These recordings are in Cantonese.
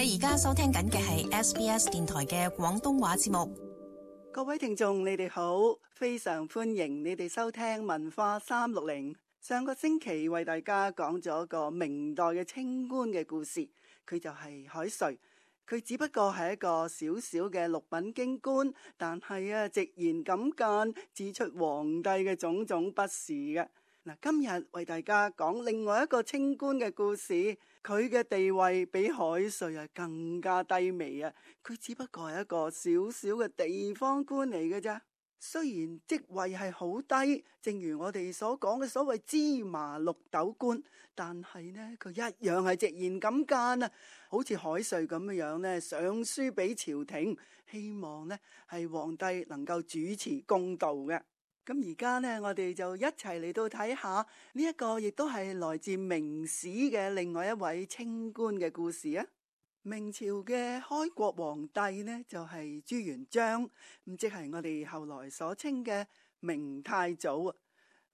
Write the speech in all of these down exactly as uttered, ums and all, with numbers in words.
你而家收聽緊嘅係 S B S 電台嘅廣東話節目。各位聽眾，你哋好，非常歡迎你哋收聽文化三六零。上個星期為大家講咗個明代嘅清官嘅故事，佢就係海瑞。佢只不過係一個小小嘅六品京官，但係啊，直言敢諫，指出皇帝嘅種種不是嘅。嗱，今日為大家講另外一個清官嘅故事，佢嘅地位比海瑞啊更加低微啊！佢只不過係一個小小嘅地方官嚟嘅咋。雖然職位係好低，正如我哋所講嘅所謂芝麻綠豆官，但係呢，佢一樣係直言敢諫啊！好似海瑞咁樣樣呢，上書俾朝廷，希望呢係皇帝能夠主持公道嘅。咁而家呢，我哋就一齊嚟到睇下呢一個，亦都係來自明史嘅另外一位清官嘅故事啊！明朝嘅開國皇帝呢，就係朱元璋，咁即係我哋後來所稱嘅明太祖啊。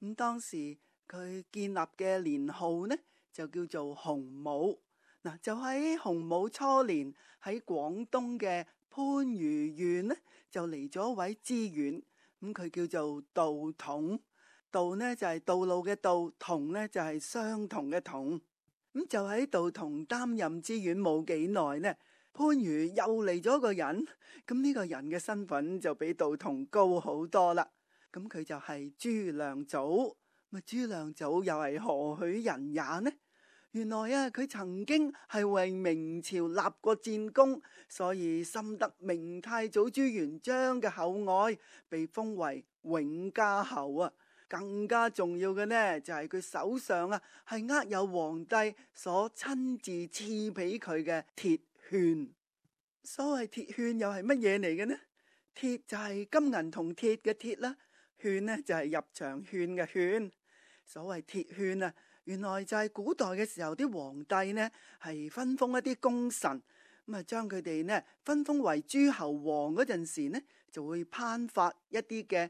咁當時佢建立嘅年號呢，就叫做洪武。嗱，就喺洪武初年，喺廣東嘅番禺縣呢，就嚟咗一位知縣，咁佢叫做道統。道呢就係道路嘅道，統呢就係相同嘅統。咁就喺道統擔任知縣冇幾耐呢，番禺又嚟咗個人，咁呢個人嘅身份就比道統高好多啦。咁佢就係朱亮祖。咁朱亮祖又係何許人也呢？原來啊，佢曾經係為明朝立過戰功，所以深得明太祖朱元璋嘅厚愛，被封為永嘉侯啊。更加重要嘅呢，就係佢手上啊係握有皇帝所親自賜俾佢嘅鐵券。所謂鐵券又係乜嘢嚟嘅呢？鐵就係金銀銅鐵嘅鐵啦，券呢就係入場券嘅券。所謂鐵券啊，原來就係古代嘅時候啲皇帝呢係分封一啲功臣，咁啊將佢哋呢分封為諸侯王嗰陣時呢，就會頒發一啲嘅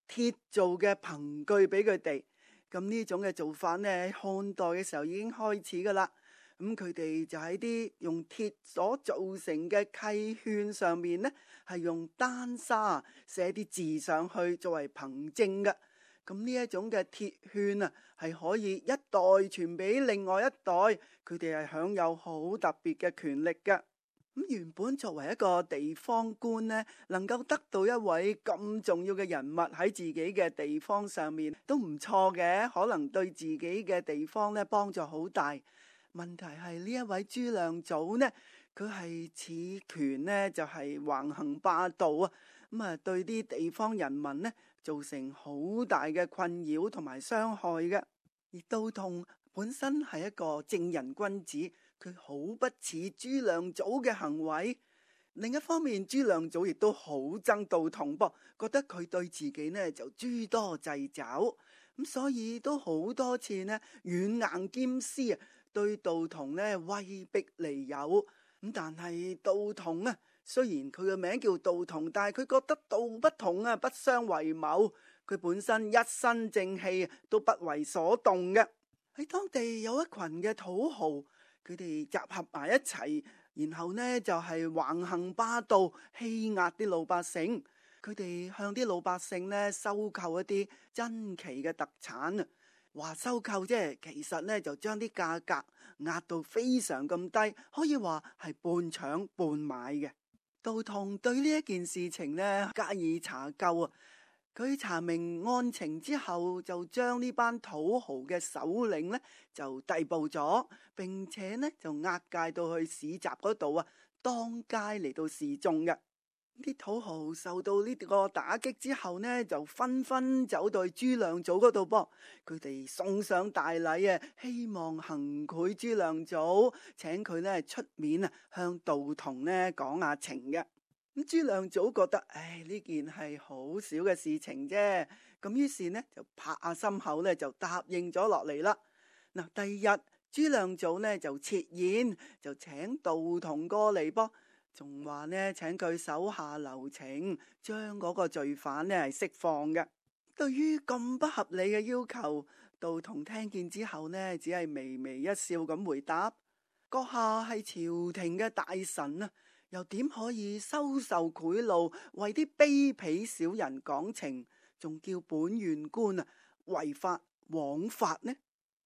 鐵做嘅憑據俾佢哋。咁呢種嘅做法呢，喺漢代嘅時候已經開始噶啦。咁佢哋就喺啲用鐵所造成嘅契券上面呢，係用丹砂寫啲字上去作為憑證嘅。咁呢一種嘅鐵券啊，係可以一代傳俾另外一代，佢哋係享有好特別嘅權力嘅。咁原本作為一個地方官呢，能夠得到一位咁重要嘅人物喺自己嘅地方上面都唔錯嘅，可能對自己嘅地方呢幫助好大。問題係呢一位朱亮祖呢，佢係恃權呢就係橫行霸道啊，咁啊對啲地方人民呢造成好大嘅困擾同埋傷害嘅。而道統本身係一個正人君子，佢好不似朱亮祖嘅行為。另一方面，朱亮祖亦都好憎道統噃，覺得佢對自己呢就諸多掣肘，咁所以都好多次呢軟硬兼施啊，對道統呢威逼利誘。咁但係道統啊，雖然佢嘅名叫道統，但係佢覺得道不同啊，不相為謀。佢本身一身正氣，都不為所動嘅。喺當地有一群嘅土豪，佢哋集合埋一齊，然後呢就係橫行霸道，欺壓啲老百姓。佢哋向啲老百姓呢收購一啲珍奇嘅特產啊，話收購啫，其實呢就將啲價格壓到非常咁低，可以話係半搶半買嘅。道統對呢一件事情呢加以查究啊。佢查明案情之後，就將呢班土豪嘅首領呢就逮捕咗，並且呢就押解到去市集嗰度啊，當街嚟到示眾嘅。啲土豪受到呢個打擊之後呢，就紛紛走到朱亮祖嗰度噃，佢哋送上大禮啊，希望行賄朱亮祖，請佢呢出面啊，向道統呢講下情嘅。咁朱亮祖覺得，唉，呢件係好少嘅事情啫，咁於是呢就拍下心口呢就答應咗落嚟啦。嗱，第二日朱亮祖呢就設宴，就請道統過嚟噃，仲話呢請佢手下留情，將嗰個罪犯呢係釋放嘅。對於咁不合理嘅要求，道統聽見之後呢，只係微微一笑咁回答。閣下係朝廷嘅大臣啊，又點可以收受賄賂，為啲卑鄙小人講情，仲叫本縣官啊違法枉法呢？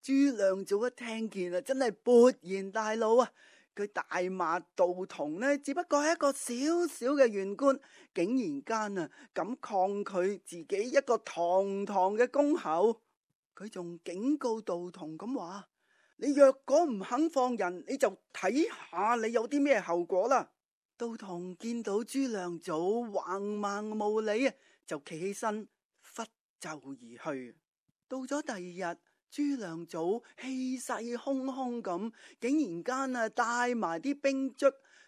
朱亮祖一聽見啊，真係勃然大怒啊！佢大罵道童呢，只不過係一個小小嘅縣官，竟然間啊咁抗拒自己一個堂堂嘅公侯。佢仲警告道童咁話：你若果唔肯放人，你就睇下你有啲咩後果啦。道童見到朱亮祖橫蠻無理啊，就企起身拂袖而去。到咗第二日，朱亮祖氣勢洶洶咁，竟然間啊帶埋啲兵卒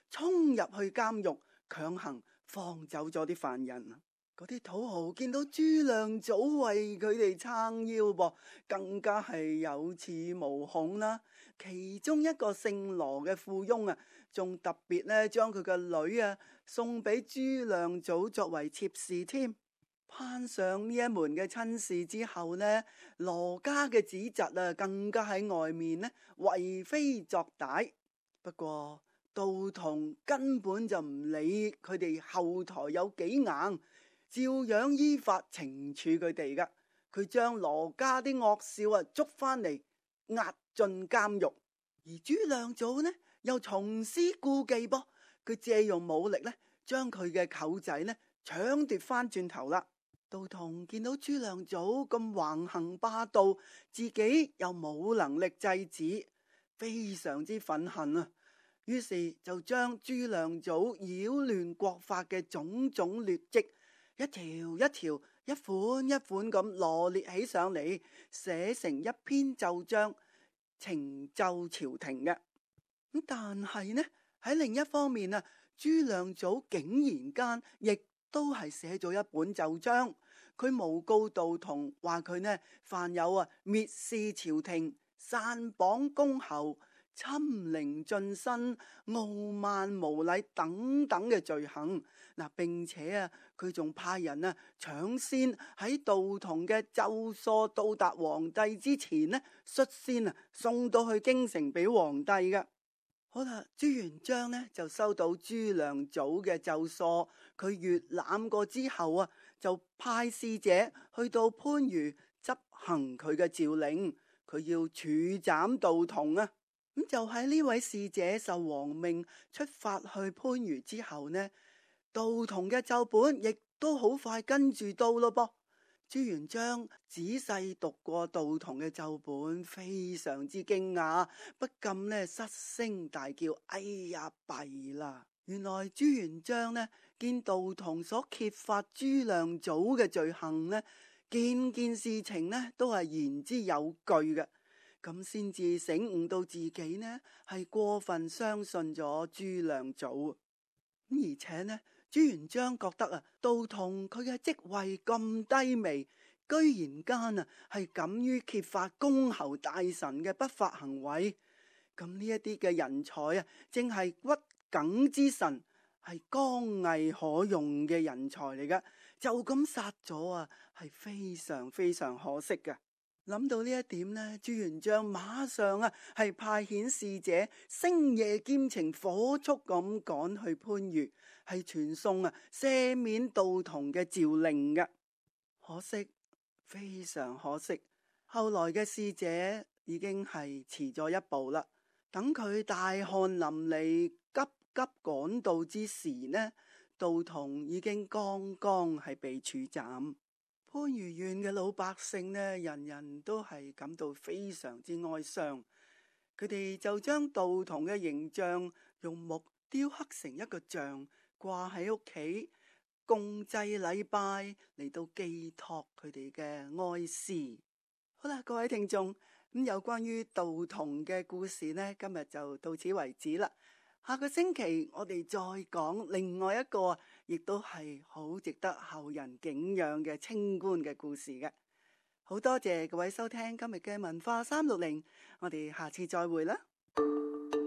衝入去監獄，強行放走咗啲犯人。嗰啲土豪見到朱亮祖為佢哋撐腰噃，更加係有恃無恐啦。其中一個姓羅嘅富翁啊，仲特別咧將佢嘅女啊送俾朱亮祖作為妾侍添。攀上呢一門嘅親事之後呢，羅家嘅子侄啊更加喺外面呢為非作歹。不過道童根本就唔理佢哋後台有幾硬，照樣依法懲處佢哋噶。佢將羅家啲惡少啊捉翻嚟押進監獄，而朱亮祖呢又重施故技噃，佢借用武力呢將佢嘅舅仔呢搶奪翻轉頭啦。道童見到朱亮祖咁橫行霸道，自己又冇能力制止，非常之憤恨啊！於是就將朱亮祖擾亂國法嘅種種劣跡，一條一條、一款一款咁羅列起上嚟，寫成一篇奏章，呈奏朝廷嘅。咁但係呢，喺另一方面啊，朱亮祖竟然間亦都係寫咗一本奏章，佢誣告道童，話佢呢犯有啊蔑視朝廷、篡綁公侯、侵凌進身、傲慢無禮等等嘅罪行。嗱，並且啊，佢仲派人啊搶先喺道童嘅奏疏到達皇帝之前呢，率先啊送到去京城俾皇帝嘅。好啦，朱元璋呢就收到朱亮祖嘅奏疏，佢閱覽過之後啊，就派使者去到番禺執行佢嘅詔令，佢要處斬道童啊。咁就喺呢位使者受皇命出發去番禺之後呢，道童嘅奏本亦都好快跟住到咯噃。朱元璋仔細讀過道童嘅奏本，非常之驚訝，不禁呢失聲大叫：哎呀，弊啦！原來朱元璋呢見道童所揭發朱亮祖嘅罪行呢，件件事情呢都係言之有據嘅，咁先至醒悟到自己呢係過分相信咗朱亮祖。而且呢，朱元璋覺得啊，道童佢嘅職位咁低微，居然間啊係敢於揭發公侯大臣嘅不法行為，咁呢一啲嘅人才啊，正係骨梗之臣，係剛毅可用嘅人才嚟噶，就咁殺咗啊，係非常非常可惜嘅。諗到呢一點呢，朱元璋馬上啊係派遣使者星夜兼程，火速咁趕去番禺，係傳送啊赦免道童嘅詔令嘅。可惜，非常可惜，後來嘅使者已經係遲咗一步啦。等佢大汗淋漓、急急趕到之時呢，道童已經剛剛係被處斬。番禺縣嘅老百姓呢，人人都係感到非常之哀傷。佢哋就將道童嘅形象用木雕刻成一個像，掛喺屋企，共祭禮拜嚟到寄託佢哋嘅哀思。好啦，各位聽眾，咁有關於道童嘅故事呢，今日就到此為止啦。下個星期我哋再講另外一個，亦都係好值得後人敬仰嘅清官嘅故事嘅。好多謝各位收聽今日嘅文化三六零，我哋下次再會啦。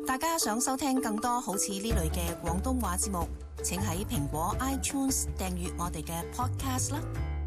大家想收聽更多好似呢類嘅廣東話節目，請喺蘋果 iTunes 訂閱我哋嘅 podcast 啦。